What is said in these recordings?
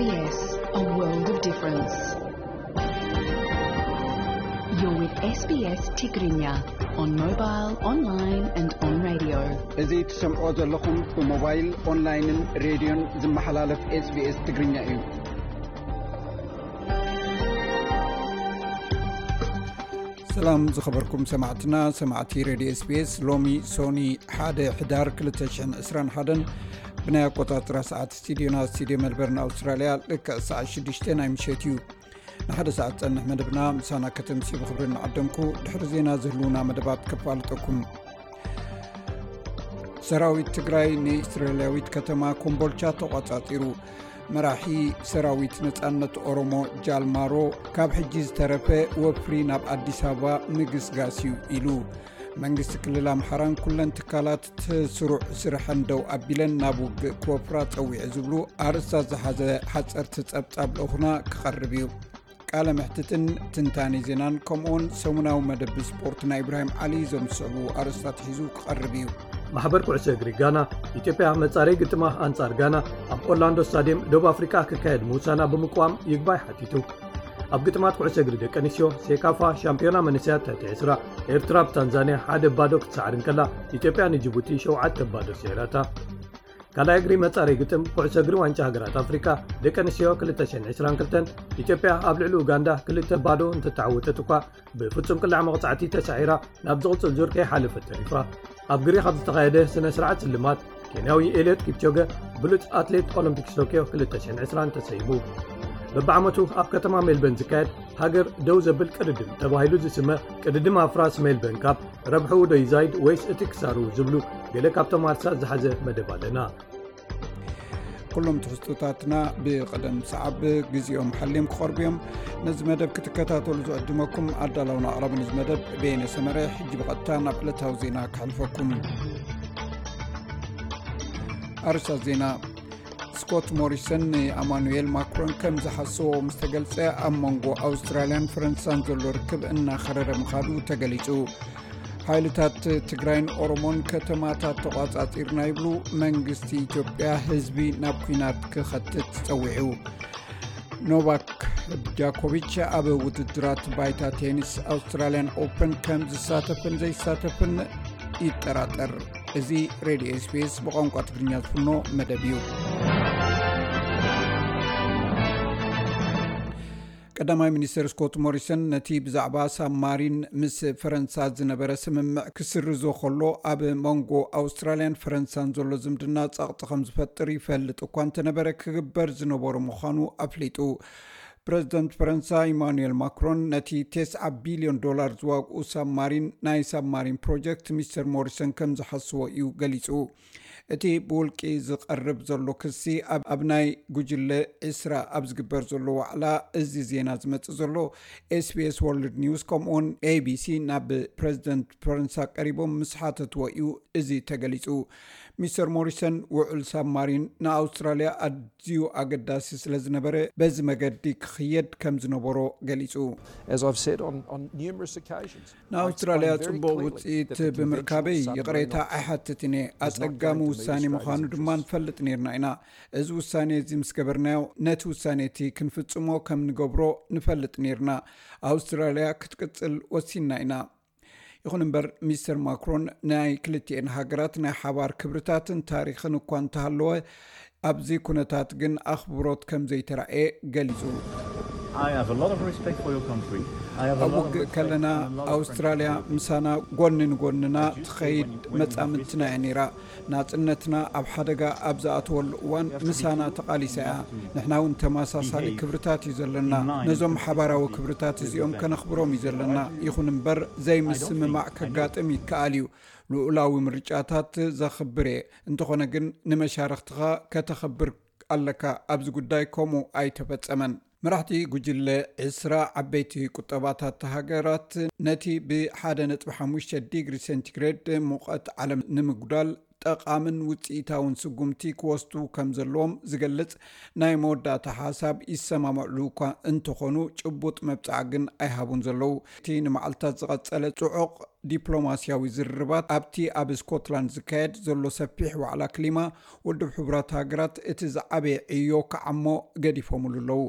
Yes, a world of difference. You're with S B S Tigrinya on mobile, online and on radio. እዚ ትሰምዖ ዘለኹም ብሞባይል፣ ኦንላይንን ሬድዮን ዝመሓላለፍ ኤስቢኤስ ትግርኛ እዩ። ሰላም ዝኸበርኩም ሰማዕትና፣ ሰማዕቲ ሬድዮ ኤስቢኤስ። ሎሚ ሶኒ ሓደ ሕዳር ክልተ ሽሕን ዕስራን ሓደን ብናይ ኣቆጻጽራ ሰዓት ስቱዲዮና፣ ስቱዲዮ ሜልበርን ኣውስትራልያ፣ ልክዕ ሰዓት ሽዱሽተ ናይ ምሸት እዩ። ንሓደ ሰዓት ጸንሕ መደብና ምሳና ከተምሲ ብኽብሪ እናዓደምኩ፣ ድሕሪ ዜና ዝህልውና መደባት ከፋልጠኩም። ሰራዊት ትግራይ ንኢንዱስትርያላዊት ከተማ ኮምቦልቻ ተቖጻጺሩ። መራሒ ሰራዊት ነጻነት ኦሮሞ ጃልማሮ፣ ካብ ሕጂ ዝተረፈ ወፍሪ ናብ ኣዲስ ኣበባ ምግስጋስ እዩ ኢሉ። መንግስቲ ክልል ኣምሓራን ኩለን ትካላት እቲ ስሩዕ ስርሐን ደው ኣቢለን ናብ ውግእ ክወፍራ ጸዊዑ ዝብሉ ኣርእስታት ዝሓዘ ሓጸርቲ ጸብጻብ ልኡኹና ክቐርብ እዩ። ቃለ መሕትትን ትንታኔ ዜናን ከምኡውን ሰሙናዊ መደብ ስፖርት ናይ ኢብራሂም ዓሊ ዘምሰሉ ኣርእስታት ሒዙ ክቐርብ እዩ። ማሕበር ኩዕሶ እግሪ ጋና፣ ኢትዮጵያ መጻረይ ግጥማ ኣንጻር ጋና ኣብ ኦርላንዶ ስታዲየም ደቡብ ኣፍሪቃ ክካየድ ምውሳና ብምቅዋም ይግባይ ሓቲቱ። ኣብ ግጥማት ኩዕሶ እግሪ ደቂ ኣንስትዮ ሴካፋ ሻምፒዮና መንእሰያት ትሕቲ ዕስራ፣ ኤርትራ ብታንዛንያ ሓደ ባዶ ክትሰዓር እንከላ፣ ኢትዮጵያ ንጅቡቲ ሸውዓተ ባዶ ስዒራታ። ካልኣይ እግሪ መጻረይ ግጥም ኩዕሶ እግሪ ዋንጫ ሃገራት ኣፍሪቃ ደቂ ኣንስትዮ ክልተ ሽሕን ዕስራን ክልተን፣ ኢትዮጵያ ኣብ ልዕሊ ኡጋንዳ ክልተ ባዶ እንተተዓወተት እኳ፣ ብፍጹም ቅላዕ መቕጻዕቲ ተሳዒራ ናብ ዝቕጽል ዙር ከይሓለፈት ተሪፋ። ኣብ ግሪኽ ኣብ ዝተኻየደ ስነ ስርዓት ስልማት፣ ኬንያዊ ኤልዮት ኪፕቾገ ብሉጽ ኣትሌት ኦሎምፒክስ ቶክዮ ክልተ ሽሕን ዕስራን ተሰይሙ። በብዓመቱ ኣብ ከተማ ሜልበርን ዝካየድ ሃገር ደው ዘብል ቅድድም ተባሂሉ ዝስመ ቅድድም ኣፍራስ ሜልበርን ካፕ፣ ረብሕኡ ዶ ይዛይድ ወይስ እቲ ክሳርኡ ዝብሉ ገለ ካብቶም ኣርሳ ዝሓዘ መደብ ኣለና። ኩሎም ትሕዝቶታትና ብቕደም ሰዓብ ግዜኦም ሓልዮም ክቐርቡ እዮም። ነዚ መደብ ክትከታተሉ ዝዕድመኩም ኣዳላውን ኣቕራብን እዚ መደብ በየነ ሰመረ። ሕጂ ብቐጥታ ናብ ዕለታዊ ዜና ከሕልፈኩም። ኣርእስታት ዜና። ስኮት ሞሪሰን ንኣማኑኤል ማክሮን ከም ዝሓሰዎ ምስ ተገልጸ፣ ኣብ መንጎ ኣውስትራልያን ፈረንሳን ዘሎ ርክብ እናኸረረ ምኻዱ ተገሊጹ። ሓይልታት ትግራይን ኦሮሞን ከተማታት ተቋጻጺርና ይብሉ። መንግስቲ ኢትዮጵያ ህዝቢ ናብ ኲናት ክኸትት ጸዊዑ። ኖቫክ ጃኮቪች ኣብ ውድድራት ባይታ ቴኒስ ኣውስትራልያን ኦፐን ከም ዝሳተፍን ዘይሳተፍን ይጠራጠር። እዚ ሬድዮ ኤስቢኤስ ብቋንቋ ትግርኛ ዝፍኖ መደብ እዩ። ቀዳማይ ሚኒስትር ስኮት ሞሪሰን ነቲ ብዛዕባ ሳብማሪን ምስ ፈረንሳ ዝነበረ ስምምዕ ክስርዞ ከሎ፣ ኣብ መንጎ ኣውስትራልያን ፈረንሳን ዘሎ ዝምድና ጸቕጢ ከም ዝፈጥር ይፈልጥ እኳ እንተነበረ፣ ክግበር ዝነበሮ ምዃኑ ኣፍሊጡ። ፕረዚደንት ፈረንሳ ኢማኑኤል ማክሮን ነቲ ተስዓ ቢልዮን ዶላር ዝዋግኡ ሳብማሪን ናይ ሳብማሪን ፕሮጀክት ሚስተር ሞሪሰን ከም ዝሓስዎ እዩ ገሊጹ። እቲ ብውልቂ ዝቐርብ ዘሎ ክሲ ኣብ፣ ኣብ ናይ ጉጅለ ዕስራ ኣብ ዝግበር ዘሎ ዋዕላ እዚ ዜና ዝመጽእ ዘሎ ኤስቢኤስ ወርልድ ኒውስ ከምኡውን ኤቢሲ ናብ ፕረዚደንት ፈረንሳ ቀሪቦም ምስ ሓተትዎ እዩ እዚ ተገሊጹ። ሚስተር ሞሪሰን ውዕል ሳብማሪን ንኣውስትራልያ ኣዝዩ ኣገዳሲ ስለ ዝነበረ በዚ መገዲ ክኽየድ ከም ዝነበሮ ገሊጹ። As I've said on, on numerous occasions, ንኣውስትራልያ ጽቡቕ ውጽኢት ብምርካበይ ይቕሬታ ኣይሓትትን እየ። ኣጸጋሚ ውሳኔ ምዃኑ ድማ ንፈልጥ ነይርና ኢና። እዚ ውሳኔ እዚ ምስ ገበርናዮ፣ ነቲ ውሳኔ እቲ ክንፍጽሞ ከም ንገብሮ ንፈልጥ ነይርና። ኣውስትራልያ ክትቅጽል ወሲንና ኢና። ይኹን እምበር፣ ሚስተር ማክሮን ናይ ክልቲኤን ሃገራት ናይ ሓባር ክብርታትን ታሪኽን እኳ እንተሃለወ፣ ኣብዚ ኩነታት ግን ኣኽብሮት ከም ዘይተራእየ ገሊጹ። I have a lot of respect for your country. I have a ኣብ lot of ውግእ respect ከለና፣ and a lot of ኣውስትራልያ friendship. ምሳና ጎኒ ንጎንና ትኸይድ መጻምድትና እያ ነይራ። ናጽነትና ኣብ ሓደጋ ኣብ ዝኣተወሉ እዋን ምሳና ተቓሊሳ እያ። ንሕና እውን ተመሳሳሊ ክብርታት እዩ ዘለና። ነዞም ሓባራዊ ክብርታት እዚኦም ከነኽብሮም እዩ ዘለና። ይኹን እምበር፣ ዘይምስምማዕ ከጋጥም ይከኣል እዩ። ልኡላዊ ምርጫታት ዘኽብር እየ። እንተኾነ ግን፣ ንመሻርኽትኻ ከተኽብር ኣለካ። ኣብዚ ጉዳይ ከምኡ ኣይተፈጸመን። መራሕቲ ጉጅለ ዕስራ ዓበይቲ ቁጠባታት ሃገራት፣ ነቲ ብሓደ ነጥቢ ሓሙሽተ ዲግሪ ሴንቲግሬድ ሙቐት ዓለም ንምጉዳል ጠቓምን ውጽኢታውን ስጉምቲ ክወስዱ ከም ዘለዎም ዝገልጽ ናይ መወዳእታ ሓሳብ ይሰማምዕሉ እኳ እንተኾኑ፣ ጭቡጥ መብጽዓ ግን ኣይሃቡን ዘለዉ። እቲ ንመዓልታት ዝቐጸለ ጽዑቕ ዲፕሎማስያዊ ዝርርባት ኣብቲ ኣብ ስኮትላንድ ዝካየድ ዘሎ ሰፊሕ ዋዕላ ክሊማ፣ ውድብ ሕቡራት ሃገራት እቲ ዝዓበየ ዕዮ ክዓሞ ገዲፎምሉ ኣለዉ።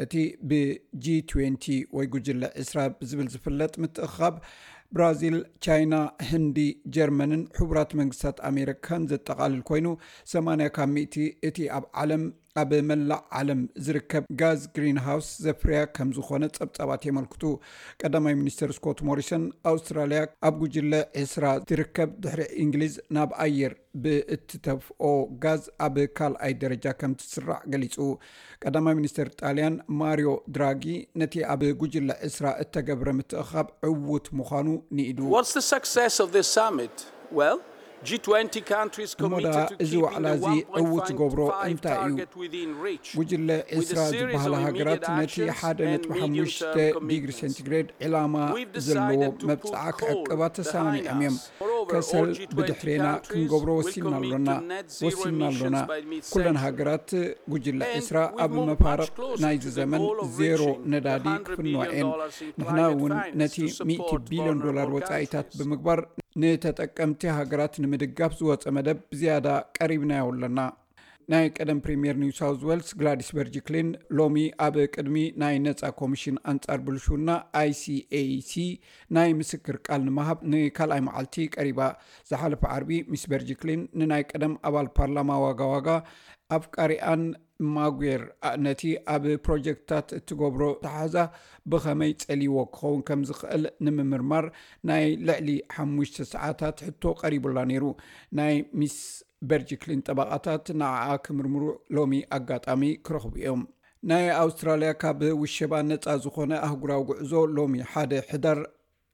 እቲ ብ ጂ ትዌንቲ ወይ ጉጅለ ዕስራ ብዝብል ዝፍለጥ ምትእኽኻብ፣ ብራዚል፣ ቻይና፣ ህንዲ፣ ጀርመንን ሕቡራት መንግስታት ኣሜሪካን ዘጠቓልል ኮይኑ፣ ሰማንያ ካብ ሚእቲ እቲ ኣብ ዓለም ኣብ መላእ ዓለም ዝርከብ ጋዝ ግሪንሃውስ ዘፍርያ ከም ዝኾነ ጸብጻባት የመልክቱ። ቀዳማይ ሚኒስትር ስኮት ሞሪሰን፣ ኣውስትራልያ ኣብ ጉጅለ ዕስራ ትርከብ፣ ድሕሪ እንግሊዝ ናብ ኣየር ብእትተፍኦ ጋዝ ኣብ ካልኣይ ደረጃ ከም ትስራዕ ገሊጹ። ቀዳማይ ሚኒስትር ጣልያን ማሪዮ ድራጊ፣ ነቲ ኣብ ጉጅለ ዕስራ እተገብረ ምትእኻብ ዕዉት ምዃኑ ንኢዱ። What's the success of this summit? Well, G twenty countries እሞ ደኣ committed to እዚ keeping ዋዕላ the እዚ ዕዉት one point five ዝገብሮ target እንታይ እዩ? within reach. ጉጅለ ዕስራ ዝበሃላ ሃገራት ነቲ ሓደ ነጥቢ ሓሙሽተ ዲግሪ ሴንቲግሬድ ዕላማ ዘለዎ መብፅዓ ክዕቅባ ተሰማሚዖም እዮም። ከሰል ብድሕሬና ክንገብሮ ወሲና ኣሎና። ወሲና ኣሎና። ኩለን ሃገራት ጉጅለ ዕስራ ኣብ መፋርቕ ናይዚ ዘመን ዜሮ ነዳዲ ክፍንዋ እየን። ንሕና እውን ነቲ ሚእቲ ቢልዮን ዶላር ወፃኢታት ብምግባር ንተጠቀምቲ ሃገራት ንምድጋፍ ዝወፀ መደብ ብዝያዳ ቀሪብናዮ ኣለና። ናይ ቀደም ፕሪምየር ኒው ሳውዝ ዌልስ ግላዲስ በርጅክሊን ሎሚ ኣብ ቅድሚ ናይ ነፃ ኮሚሽን ኣንጻር ብልሹና፣ ኣይሲኤሲ፣ ናይ ምስክር ቃል ንምሃብ ንካልኣይ መዓልቲ ቀሪባ። ዝሓለፈ ዓርቢ ሚስ በርጅክሊን ንናይ ቀደም ኣባል ፓርላማ ዋጋ ዋጋ ኣፍቃሪኣን ማጉየር ነቲ ኣብ ፕሮጀክትታት እትገብሮ ተሓዛ ብኸመይ ጸልይዎ ክኸውን ከም ዝኽእል ንምምርማር ናይ ልዕሊ ሓሙሽተ ሰዓታት ሕቶ ቀሪቡላ ነይሩ። ናይ ሚስ በርጅክሊን ጠበቓታት ንዓኣ ክምርምሩ ሎሚ ኣጋጣሚ ክረኽቡ እዮም። ናይ ኣውስትራልያ ካብ ውሸባ ነፃ ዝኾነ ኣህጉራዊ ጉዕዞ ሎሚ ሓደ ሕዳር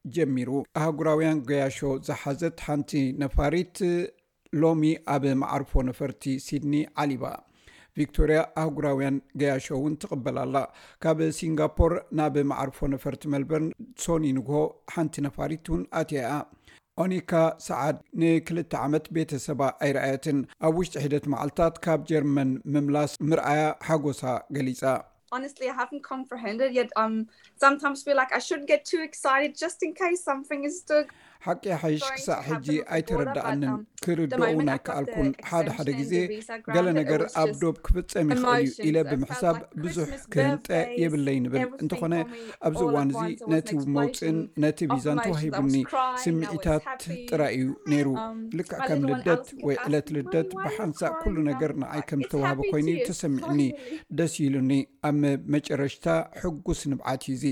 ጀሚሩ። ኣህጉራውያን ገያሾ ዝሓዘት ሓንቲ ነፋሪት ሎሚ ኣብ መዓርፎ ነፈርቲ ሲድኒ ዓሊባ። ቪክቶርያ ኣህጉራውያን ገያሾ እውን ትቕበል ኣላ። ካብ ሲንጋፖር ናብ መዓርፎ ነፈርቲ መልበርን ሶኒ ንግሆ ሓንቲ ነፋሪት እውን ኣትያ እያ። ኦኒካ ሰዓድ ንክልተ ዓመት ቤተሰባ ኣይረኣየትን። ኣብ ውሽጢ ሒደት መዓልታት ካብ ጀርመን ምምላስ ምርኣያ ሓጎሳ ገሊጻ። Honestly, I haven't comprehended yet. Um, sometimes feel like I shouldn't get too excited just in case something is to ሓቂ ሓይሽ ክሳዕ ሕጂ ኣይተረዳኣንን። ክርድኦ እውን ኣይከኣልኩን። ሓደ ሓደ ግዜ ገለ ነገር ኣብ ዶብ ክፍጸም ይኽእል እዩ ኢለ ብምሕሳብ ብዙሕ ክህንጠ የብለይን እብል። እንተኾነ ኣብዚ እዋን እዚ ነቲ መውፅእን ነቲ ቪዛን ተዋሂቡኒ። ስምዒታት ጥራይ እዩ ነይሩ። ልክዕ ከም ልደት ወይ ዕለት ልደት ብሓንሳእ ኩሉ ነገር ንዓይ ከም ዝተዋህበ ኮይኑ እዩ ተሰሚዕኒ። ደስ ኢሉኒ። ኣብ መጨረሽታ ሕጉስ ንብዓት እዩ እዚ።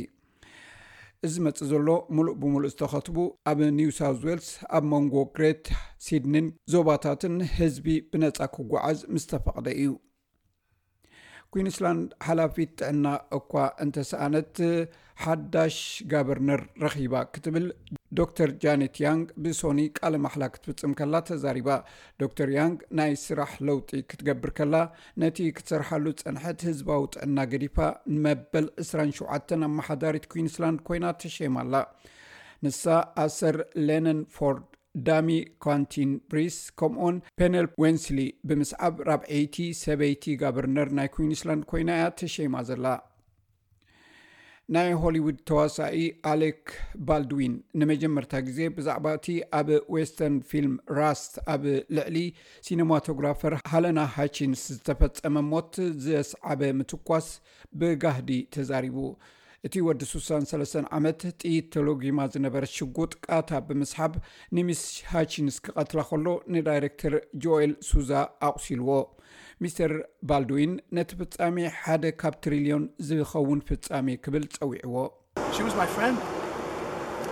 እዚ ዝመጽእ ዘሎ ምሉእ ብምሉእ ዝተኸትቡ ኣብ ኒው ሳውዝ ዌልስ ኣብ መንጎ ግሬት ሲድኒን ዞባታትን ህዝቢ ብነጻ ክጓዓዝ ምስ ተፈቕደ እዩ። ኩዊንስላንድ ሓላፊት ጥዕና እኳ እንተሰኣነት ሓዳሽ ጋቨርነር ረኺባ ክትብል ዶክተር ጃኔት ያንግ ብሶኒ ቃለ ማሕላ ክትፍጽም ከላ ተዛሪባ። ዶክተር ያንግ ናይ ስራሕ ለውጢ ክትገብር ከላ ነቲ ክትሰርሓሉ ዝጸንሐት ህዝባዊ ጥዕና ገዲፋ ንመበል ዕስራን ሸውዓተን ኣመሓዳሪት ኩዊንስላንድ ኮይና ተሸይማ ኣላ። ንሳ ኣሰር ሌነን ፎርድ፣ ዳሚ ኳንቲን ብሪስ ከምኡውን ፔነል ዌንስሊ ብምስዓብ ራብዐይቲ ሰበይቲ ጋቨርነር ናይ ኩዊንስላንድ ኮይና እያ ተሸይማ ዘላ። ናይ ሆሊውድ ተዋሳኢ ኣሌክ ባልድዊን ንመጀመርታ ግዜ ብዛዕባ እቲ ኣብ ዌስተርን ፊልም ራስት ኣብ ልዕሊ ሲነማቶግራፈር ሃለና ሃቺንስ ዝተፈጸመ ሞት ዘስዓበ ምትኳስ ብጋህዲ ተዛሪቡ። እቲ ወዲ ስሳን ሰለስተን ዓመት ጥይት ተሎጊማ ዝነበረት ሽጉጥ ቃታ ብምስሓብ ንሚስ ሃቺንስ ክቐትላ ከሎ ንዳይሬክተር ጆኤል ሱዛ ኣቑሲልዎ። ሚስተር ባልድዊን ነቲ ፍጻሜ ሓደ ካብ ትሪልዮን ዝኸውን ፍጻሜ ክብል ጸዊዕዎ። She was my friend.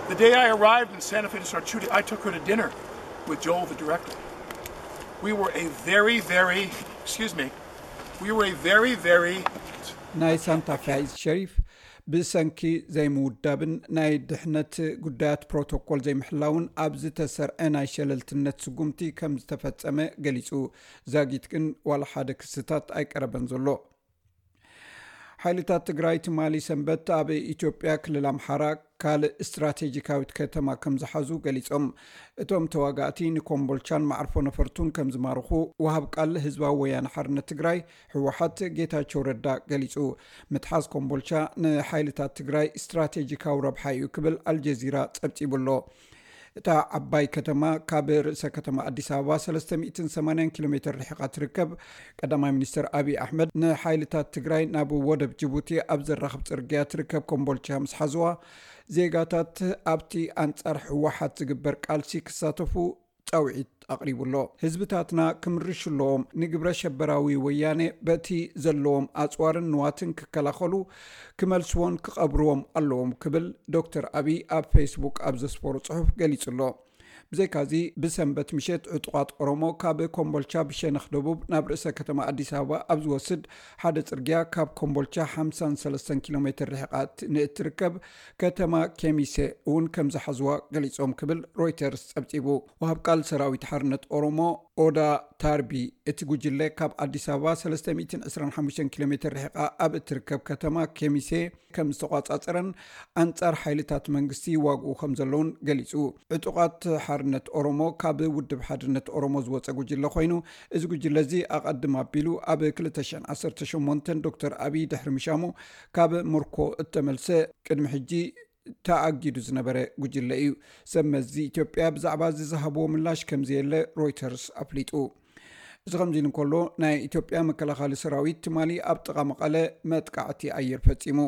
The day I arrived in Santa Fe to start shooting, I took her to dinner with Joel, the director. We were a very, very, excuse me, we were a very, very ናይ ሳንታ ፌ ሸሪፍ ብሰንኪ ዘይምውዳብን ናይ ድሕነት ጉዳያት ፕሮቶኮል ዘይምሕላውን ኣብ ዝተሰርዐ ናይ ሸለልትነት ስጉምቲ ከም ዝተፈጸመ ገሊጹ። ዛጊት ግን ዋላ ሓደ ክስታት ኣይቀረበን ዘሎ። ሓይልታት ትግራይ ትማሊ ሰንበት ኣብ ኢትዮጵያ ክልል ኣምሓራ ካልእ ስትራቴጂካዊት ከተማ ከም ዝሓዙ ገሊጾም። እቶም ተዋጋእቲ ንኮምቦልቻን መዓርፎ ነፈርቱን ከም ዝማርኹ ወሃብ ቃል ህዝባዊ ወያነ ሓርነት ትግራይ ህወሓት ጌታቸው ረዳ ገሊጹ። ምትሓዝ ኮምቦልቻ ንሓይልታት ትግራይ ስትራቴጂካዊ ረብሓ እዩ ክብል ኣልጀዚራ ጸብጺቡ ኣሎ። እታ ዓባይ ከተማ ካብ ርእሰ ከተማ ኣዲስ ኣበባ ሰለስተ ሚእትን ሰማንያን ኪሎ ሜትር ርሒቓ ትርከብ። ቀዳማይ ሚኒስትር ኣብይ ኣሕመድ ንሓይልታት ትግራይ ናብ ወደብ ጅቡቲ ኣብ ዘራኽብ ጽርግያ ትርከብ ኮምቦልቻ ምስ ሓዝዋ፣ ዜጋታት ኣብቲ ኣንጻር ህወሓት ዝግበር ቃልሲ ክሳተፉ ጻውዒት ኣቕሪቡ ኣሎ። ህዝብታትና ክምርሹ ኣለዎም፣ ንግብረ ሸበራዊ ወያነ በቲ ዘለዎም ኣጽዋርን ንዋትን ክከላኸሉ፣ ክመልስዎን ክቐብርዎም ኣለዎም ክብል ዶክተር ኣብይ ኣብ ፌስቡክ ኣብ ዘስፈሮ ጽሑፍ ገሊጹ ኣሎ። ብዘይካዚ ብሰንበት ምሸት ዕጡቓት ኦሮሞ ካብ ኮምቦልቻ ብሸነኽ ደቡብ ናብ ርእሰ ከተማ ኣዲስ ኣበባ ኣብ ዝወስድ ሓደ ጽርግያ ካብ ኮምቦልቻ ሓምሳን ሰለስተን ኪሎ ሜትር ርሕቓት ንእትርከብ ከተማ ኬሚሴ እውን ከም ዝሓዝዋ ገሊጾም ክብል ሮይተርስ ጸብጺቡ። ወሃብ ቃል ሰራዊት ሓርነት ኦሮሞ ኦዳ ታርቢ፣ እቲ ጉጅለ ካብ ኣዲስ ኣበባ ሰለስተ ሚእትን ዕስራን ሓሙሽተን ኪሎ ሜትር ርሒቓ ኣብ እትርከብ ከተማ ኬሚሴ ከም ዝተቋጻጸረን ኣንጻር ሓይልታት መንግስቲ ዋግኡ ከም ዘለውን ገሊጹ። ዕጡቓት ሓርነት ኦሮሞ ካብ ውድብ ሓድነት ኦሮሞ ዝወጸ ጉጅለ ኮይኑ፣ እዚ ጉጅለ እዚ ኣቐድም ኣቢሉ ኣብ ክልተ ሽሕን ዓሰርተ ሸሞንተን ዶክተር ኣብይ ድሕሪ ምሻሙ ካብ ምርኮ እተመልሰ ቅድሚ ሕጂ ተኣጊዱ ዝነበረ ጉጅለ እዩ። ሰብ መዚ ኢትዮጵያ ብዛዕባ እዚ ዝሃብዎ ምላሽ ከም ዘየለ ሮይተርስ ኣፍሊጡ። እዚ ከምዚ ኢሉ እንከሎ፣ ናይ ኢትዮጵያ መከላኸሊ ሰራዊት ትማሊ ኣብ ጥቓ መቐለ መጥቃዕቲ ኣየር ፈጺሙ።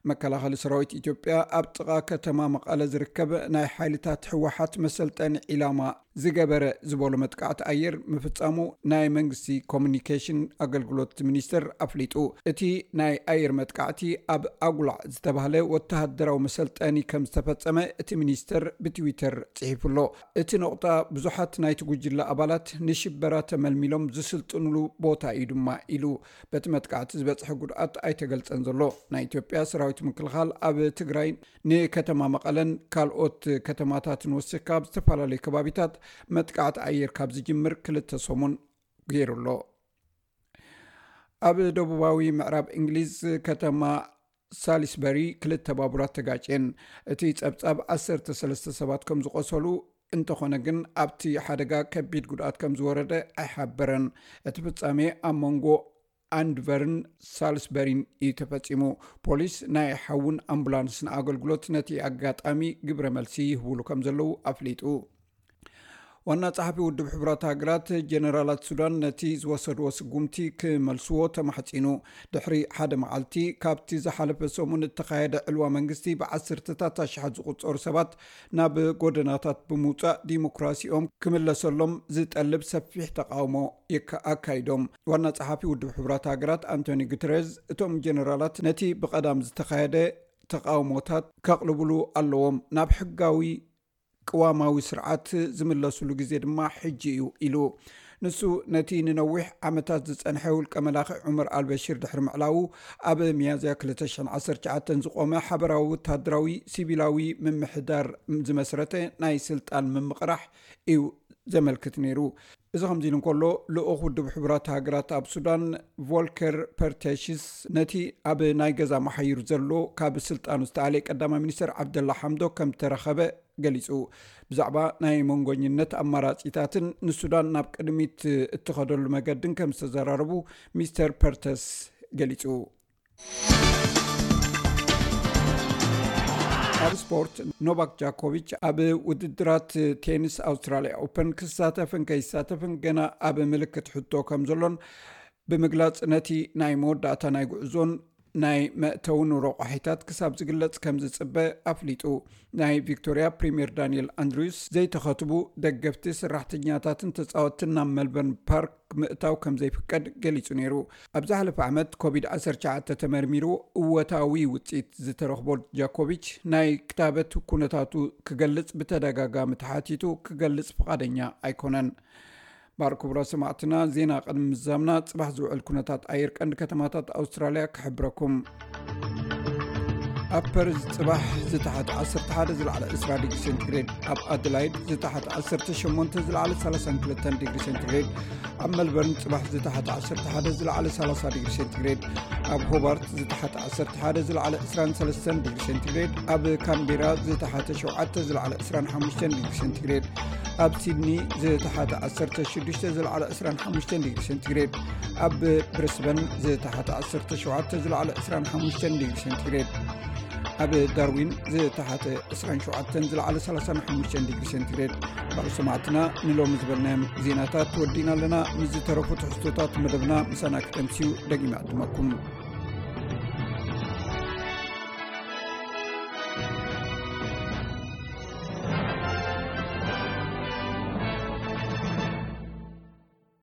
መከላኸሊ ሰራዊት ኢትዮጵያ ኣብ ጥቓ ከተማ መቐለ ዝርከብ ናይ ሓይልታት ህወሓት መሰልጠኒ ዒላማ ዝገበረ ዝበሎ መጥቃዕቲ ኣየር ምፍጻሙ ናይ መንግስቲ ኮሙኒኬሽን ኣገልግሎት ሚኒስቴር ኣፍሊጡ። እቲ ናይ ኣየር መጥቃዕቲ ኣብ ኣጉላዕ ዝተባህለ ወተሃደራዊ መሰልጠኒ ከም ዝተፈጸመ እቲ ሚኒስቴር ብትዊተር ጽሒፉ ኣሎ። እቲ ነቑጣ ብዙሓት ናይቲ ጉጅለ ኣባላት ንሽበራ ተመልሚሎም ዝስልጥኑሉ ቦታ እዩ ድማ ኢሉ። በቲ መጥቃዕቲ ዝበጽሐ ጉድኣት ኣይተገልጸን ዘሎ። ናይ ኢትዮጵያ ሰራዊት ምክልኻል ኣብ ትግራይ ንከተማ መቐለን ካልኦት ከተማታትን ወሲኽካ ኣብ ዝተፈላለዩ ከባቢታት መጥቃዕቲ ኣየር ካብ ዝጅምር ክልተ ሰሙን ገይሩ ኣሎ። ኣብ ደቡባዊ ምዕራብ እንግሊዝ ከተማ ሳሊስበሪ ክልተ ባቡራት ተጋጭየን። እቲ ጸብጻብ ዓሰርተ ሰለስተ ሰባት ከም ዝቆሰሉ እንተኾነ ግን ኣብቲ ሓደጋ ከቢድ ጉድኣት ከም ዝወረደ ኣይሓበረን። እቲ ፍጻሜ ኣብ መንጎ ኣንድቨርን ሳልስበሪን እዩ ተፈጺሙ። ፖሊስ ናይ ሓውን ኣምቡላንስን ኣገልግሎት ነቲ ኣጋጣሚ ግብረ መልሲ ይህቡሉ ከም ዘለዉ ኣፍሊጡ። ዋና ጸሓፊ ውድብ ሕቡራት ሃገራት፣ ጀነራላት ሱዳን ነቲ ዝወሰድዎ ስጉምቲ ክመልስዎ ተማሕጺኑ። ድሕሪ ሓደ መዓልቲ ካብቲ ዝሓለፈ ሰሙን እተኻየደ ዕልዋ መንግስቲ፣ ብዓሰርተታት ኣሽሓት ዝቑጸሩ ሰባት ናብ ጎደናታት ብምውጻእ ዲሞክራሲኦም ክምለሰሎም ዝጠልብ ሰፊሕ ተቃውሞ የካ-፣ ኣካይዶም። ዋና ጸሓፊ ውድብ ሕቡራት ሃገራት ኣንቶኒ ጉተረዝ፣ እቶም ጀነራላት ነቲ ብቐዳም ዝተኻየደ ተቃውሞታት ከቕልብሉ ኣለዎም፣ ናብ ሕጋዊ ቅዋማዊ ስርዓት ዝምለሱሉ ግዜ ድማ ሕጂ እዩ ኢሉ። ንሱ ነቲ ንነዊሕ ዓመታት ዝጸንሐ ውልቀ መላኺ ዑመር ኣልበሽር ድሕሪ ምዕላዉ፣ ኣብ ሚያዝያ ክልተ ሽሕን ዓሰርተ ትሽዓተን ዝቖመ ሓበራዊ ወተሃደራዊ ሲቪላዊ ምምሕዳር ዝመስረተ ናይ ስልጣን ምምቕራሕ እዩ ዘመልክት ነይሩ። እዚ ከምዚ ኢሉ እንከሎ፣ ልኡኽ ውድብ ሕቡራት ሃገራት ኣብ ሱዳን ቮልከር ፐርተሽስ ነቲ ኣብ ናይ ገዛ መሓይር ዘሎ ካብ ስልጣኑ ዝተኣልየ ቀዳማይ ሚኒስትር ዓብደላ ሓምዶክ ከም ተረኸበ ገሊጹ። ብዛዕባ ናይ መንጎኝነት ኣማራጺታትን ንሱዳን ናብ ቅድሚት እትኸደሉ መገድን ከም ዝተዘራረቡ ሚስተር ፐርተስ ገሊጹ። ኣብ ስፖርት፣ ኖቫክ ጃኮቪች ኣብ ውድድራት ቴኒስ ኣውስትራልያ ኦፐን ክሳተፍን ከይሳተፍን ገና ኣብ ምልክት ሕቶ ከም ዘሎን ብምግላጽ፣ ነቲ ናይ መወዳእታ ናይ ጉዕዞን ናይ መእተውን ረቋሒታት ክሳብ ዝግለጽ ከም ዝጽበ ኣፍሊጡ። ናይ ቪክቶርያ ፕሪምየር ዳንኤል ኣንድሪውስ ዘይተኸትቡ ደገፍቲ፣ ሰራሕተኛታትን ተጻወትትን ናብ ሜልበርን ፓርክ ምእታው ከም ዘይፍቀድ ገሊጹ ነይሩ። ኣብ ዝሓለፈ ዓመት ኮቪድ ዓሰርተ ትሽዓተ ተመርሚሩ እወታዊ ውጽኢት ዝተረኽቦ ጃኮቪች፣ ናይ ክታበት ኩነታቱ ክገልጽ ብተደጋጋሚ ተሓቲቱ ክገልጽ ፍቓደኛ ኣይኮነን። ባር ክቡራት ሰማዕትና፣ ዜና ቅድሚ ምዛምና፣ ጽባሕ ዝውዕል ኩነታት ኣየር ቀንዲ ከተማታት ኣውስትራልያ ክሕብረኩም። ኣብ ፐርዝ ጽባሕ ዝተሓተ ዓሰርተ ሓደ፣ ዝለዓለ ዕስራ ዲግሪ ሴንቲግሬድ፣ ኣብ ኣደላይድ ዝተሓተ ዓሰርተ ሸሞንተ፣ ዝለዓለ ሰላሳን ክልተን ዲግሪ ሴንቲግሬድ፣ ኣብ መልበርን ጽባሕ ዝተሓተ ዓሰርተ ሓደ፣ ዝለዓለ ሰላሳ ዲግሪ ሴንቲግሬድ፣ ኣብ ሆባርት ዝተሓተ ዓሰርተ ሓደ፣ ዝለዓለ ዕስራን ሰለስተን ዲግሪ ሴንቲግሬድ፣ ኣብ ካምቤራ ዝተሓተ ሸውዓተ፣ ዝለዓለ ዕስራን ሓሙሽተን ዲግሪ ሴንቲግሬድ፣ ኣብ ሲድኒ ዝተሓተ ዓሰርተ ሽዱሽተ፣ ዝለዓለ ዕስራን ሓሙሽተን ዲግሪ ሴንቲግሬድ፣ ኣብ ብሪስበን ዝተሓተ ዓሰርተ ሸውዓተ፣ ዝለዓለ ዕስራን ሓሙሽተን ዲግሪ ሴንቲግሬድ፣ ኣብ ዳርዊን ዝተሓተ ዕስራን ሸውዓተን ዝለዓለ ሰላሳን ሓሙሽተን ዲግሪ ሴንቲግሬድ። ባሩ ሰማዕትና፣ ንሎሚ ዝበልናዮም ዜናታት ወዲእና ኣለና። ምስ ዝተረፉ ትሕዝቶታት መደብና ምሳና ክተምስዩ ደጊመ ዕድመኩም።